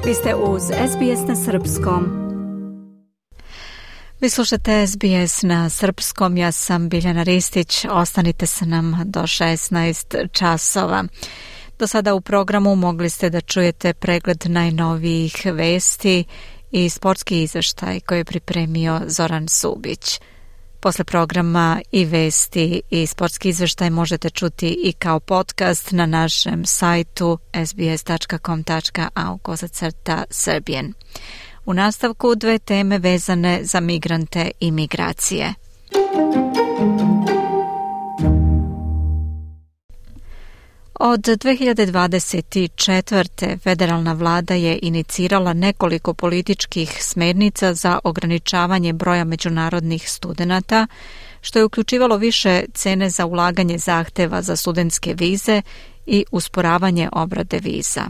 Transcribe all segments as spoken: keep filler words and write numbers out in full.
Vi ste uz S B S na srpskom. Vi slušate S B S na srpskom, ja sam Biljana Ristić, ostanite sa nam do šesnaest časova. Do sada u programu mogli ste da čujete pregled najnovijih vesti i sportski izveštaj koji je pripremio Zoran Subić. Posle programa i vesti i sportski izveštaj možete čuti i kao podcast na našem sajtu s b s dot com dot a u kosacrta Serbian. U nastavku dve teme vezane za migrante i migracije. Od dve hiljade dvadeset četvrte. federalna vlada je inicirala nekoliko političkih smernica za ograničavanje broja međunarodnih studenata, što je uključivalo više cene za ulaganje zahteva za studentske vize i usporavanje obrade viza.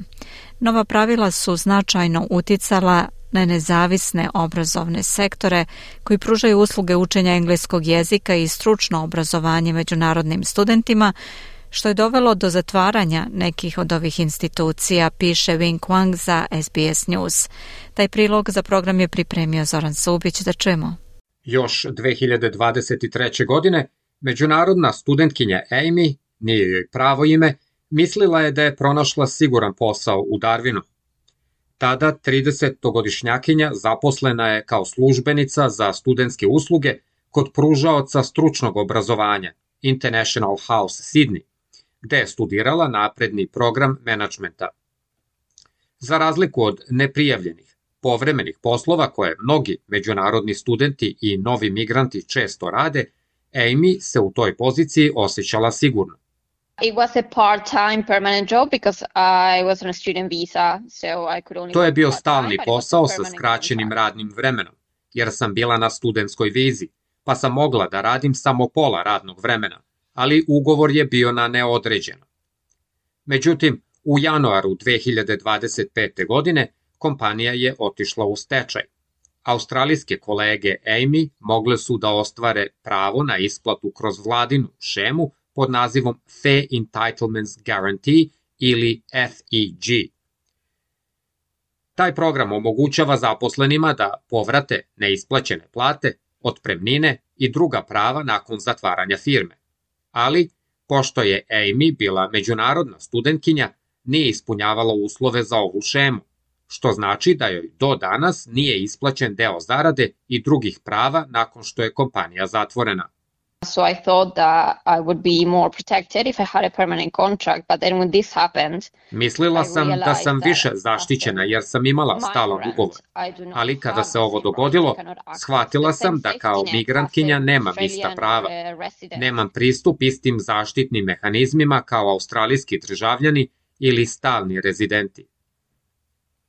Nova pravila su značajno uticala na nezavisne obrazovne sektore koji pružaju usluge učenja engleskog jezika i stručno obrazovanje međunarodnim studentima, što je dovelo do zatvaranja nekih od ovih institucija, piše Wing Wang za S B S News. Taj prilog za program je pripremio Zoran Subić, da čujemo. Još dve hiljade dvadeset treće. godine međunarodna studentkinja Amy, nije joj pravo ime, mislila je da je pronašla siguran posao u Darwinu. Tada tridesetogodišnjakinja zaposlena je kao službenica za studentske usluge kod pružaoca stručnog obrazovanja International House Sydney, gde je studirala napredni program menadžmenta. Za razliku od neprijavljenih, povremenih poslova koje mnogi međunarodni studenti i novi migranti često rade, Amy se u toj poziciji osjećala sigurno. It was a part-time permanent job because I was on a student visa, so I could only. To je bio stalni posao sa skraćenim radnim vremenom, jer sam bila na studentskoj vizi, pa sam mogla da radim samo pola radnog vremena, ali ugovor je bio na neodređeno. Međutim, u januaru dve hiljade dvadeset pete. godine kompanija je otišla u stečaj. Australijske kolege Amy mogle su da ostvare pravo na isplatu kroz vladinu šemu pod nazivom Fair Entitlements Guarantee ili F E G. Taj program omogućava zaposlenima da povrate neisplaćene plate, otpremnine i druga prava nakon zatvaranja firme. Ali, pošto je Amy bila međunarodna studentkinja, nije ispunjavala uslove za ovu šemu, što znači da joj do danas nije isplaćen deo zarade i drugih prava nakon što je kompanija zatvorena. So I thought that I would be more protected if I had a permanent contract, but then when this happened, Mislila sam da sam više zaštićena jer sam imala stalan ugovor, ali kada se ovo dogodilo, shvatila sam da kao migrantkinja nemam ista prava. Nemam pristup istim zaštitnim mehanizmima kao australijski državljani ili stalni rezidenti.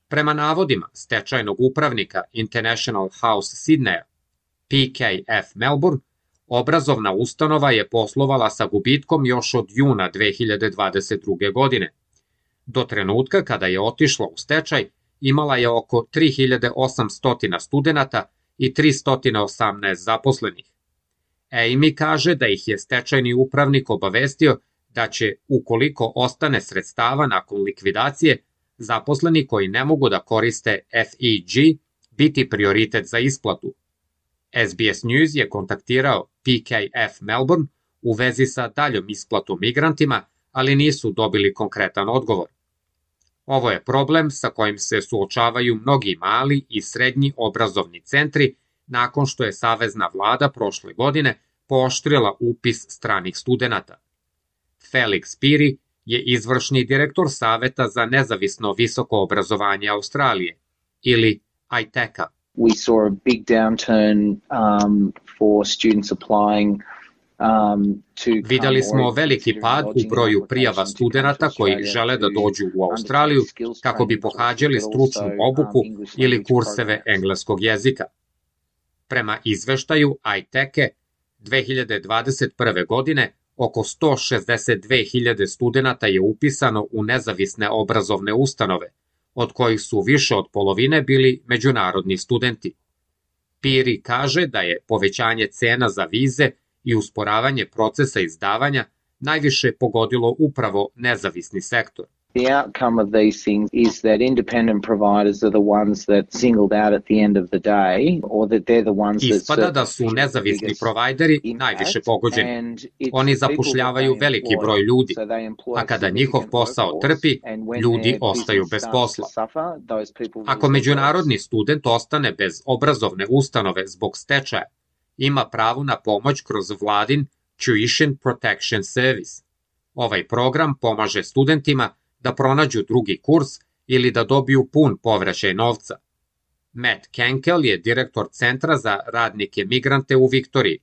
Prema navodima stečajnog upravnika International House Sydneya, P K F Melbourne, obrazovna ustanova je poslovala sa gubitkom još od juna dve hiljade dvadeset druge. godine. Do trenutka kada je otišla u stečaj, imala je oko tri hiljade osamsto studenata i tristo osamnaest zaposlenih. Amy kaže da ih je stečajni upravnik obavestio da će, ukoliko ostane sredstava nakon likvidacije, zaposleni koji ne mogu da koriste F E G biti prioritet za isplatu. S B S News je kontaktirao P K F Melbourne u vezi sa daljom isplatom migrantima, ali nisu dobili konkretan odgovor. Ovo je problem sa kojim se suočavaju mnogi mali i srednji obrazovni centri nakon što je savezna vlada prošle godine pooštrila upis stranih studenata. Felix Piri je izvršni direktor Saveta za nezavisno visoko obrazovanje Australije, ili I T E C-a. We saw a big downturn um, for students applying um, to Videli smo veliki pad u broju prijava studenata koji žele da dođu u Australiju kako bi pohađali stručnu obuku ili kurseve engleskog jezika. Prema izveštaju I T E C-e, dve hiljade dvadeset prve. godine oko sto šezdeset dve hiljade studenata je upisano u nezavisne obrazovne ustanove, od kojih su više od polovine bili međunarodni studenti. Piri kaže da je povećanje cena za vize i usporavanje procesa izdavanja najviše pogodilo upravo nezavisni sektor. The outcome of these things is that independent providers are the ones that singled out at the end of the day, or that they're the ones that... Ispada da su nezavisni provajderi najviše pogođeni. Oni zapošljavaju veliki broj ljudi, a kada njihov posao trpi, ljudi ostaju bez posla. Ako međunarodni student ostane bez obrazovne ustanove zbog stečaja, ima pravo na pomoć kroz vladin Tuition Protection Service. Ovaj program pomaže studentima da pronađu drugi kurs ili da dobiju pun povraćaj novca. Matt Kenkel je direktor Centra za radnike migrante u Viktoriji.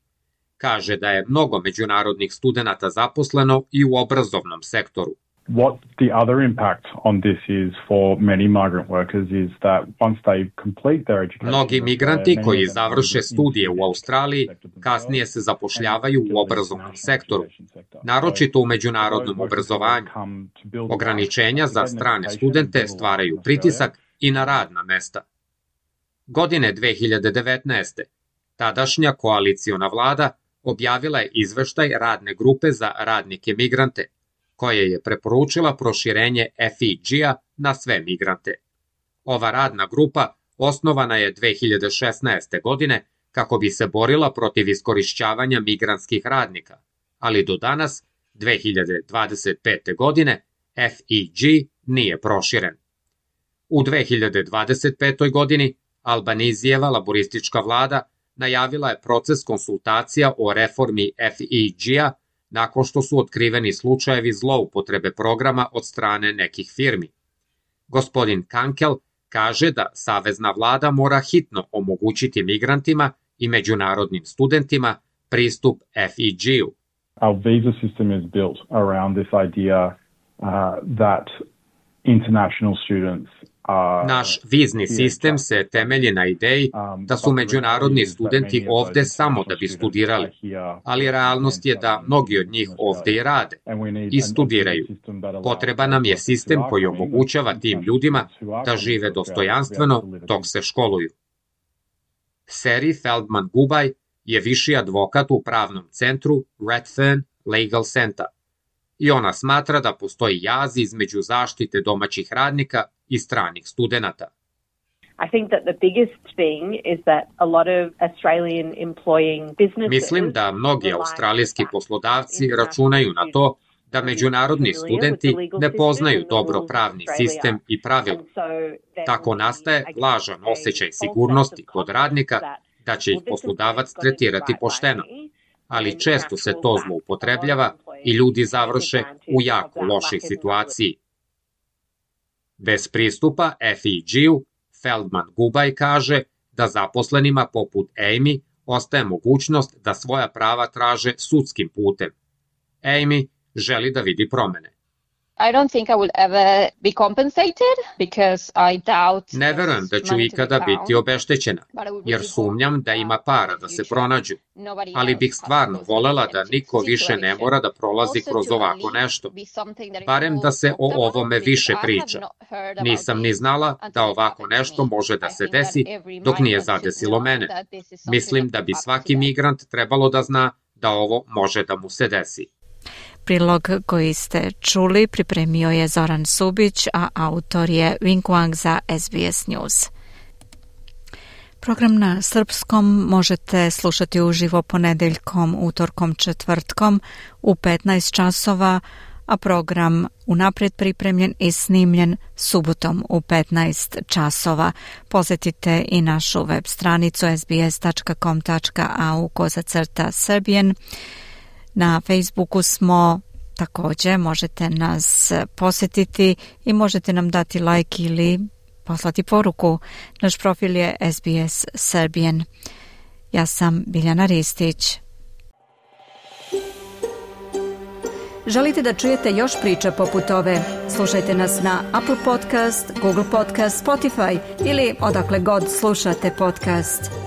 Kaže da je mnogo međunarodnih studenata zaposleno i u obrazovnom sektoru. What the other impact on this is for many migrant workers is that once they complete their education... Mnogi migranti koji završe studije u Australiji kasnije se zapošljavaju u obrazovnom sektoru, naročito u međunarodnom obrazovanju. Ograničenja za strane studente stvaraju pritisak i na radna mesta. Godine dve hiljade devetnaeste. tadašnja koaliciona vlada objavila je izveštaj radne grupe za radnike migrante, koje je preporučila proširenje F I G-a na sve migrante. Ova radna grupa osnovana je dve hiljade šesnaeste. godine kako bi se borila protiv iskorišćavanja migrantskih radnika, ali do danas, dve hiljade dvadeset pete. godine, F I G nije proširen. U dve hiljade dvadeset petoj. godini Albanizijeva laboristička vlada najavila je proces konsultacija o reformi F I G-a nakon što su otkriveni slučajevi zloupotrebe programa od strane nekih firmi. Gospodin Kankel kaže da savezna vlada mora hitno omogućiti migrantima i međunarodnim studentima pristup F I G-u. Our visa system is built around this idea uh, that international students Naš vizni sistem se temelji na ideji da su međunarodni studenti ovde samo da bi studirali, ali realnost je da mnogi od njih ovde i rade i studiraju. Potreban nam je sistem koji omogućava tim ljudima da žive dostojanstveno dok se školuju. Seri Feldman-Gubaj je viši advokat u pravnom centru Redfern Legal Center i ona smatra da postoji jaz između zaštite domaćih radnika i stranih studenata. I think that the biggest thing is that a lot of Australian employing businesses... Mislim da mnogi australijski poslodavci računaju na to da međunarodni studenti ne poznaju dobro pravni sistem i pravila. Tako nastaje lažan osjećaj sigurnosti kod radnika da će ih poslodavac tretirati pošteno, ali često se to zloupotrebljava i ljudi završe u jako lošoj situaciji. Bez pristupa F I G-u, Feldman-Gubaj kaže da zaposlenima poput Amy ostaje mogućnost da svoja prava traže sudskim putem. Amy želi da vidi promene. I don't think I will ever be compensated because I doubt... Ne verujem da ću ikada biti obeštećena, jer sumnjam da ima para da se pronađu, ali bih stvarno volela da niko više ne mora da prolazi kroz ovako nešto, barem da se o ovome više priča. Nisam ni znala da ovako nešto može da se desi dok nije zadesilo mene. Mislim da bi svaki migrant trebalo da zna da ovo može da mu se desi. Prilog koji ste čuli pripremio je Zoran Subić, a autor je Wing Wang za S B S News. Program na srpskom možete slušati uživo ponedeljkom, utorkom, četvrtkom u petnaest časova, a program unaprijed pripremljen i snimljen subotom u petnaest časova. Posjetite i našu web stranicu s b s tačka com tačka a u kozacrta Serbian. Na Facebooku smo, također možete nas posjetiti i možete nam dati like ili poslati poruku. Naš profil je S B S Serbian. Ja sam Biljana Ristić. Želite da čujete još priča poput ove? Slušajte nas na Apple Podcast, Google Podcast, Spotify ili odakle god slušate podcast.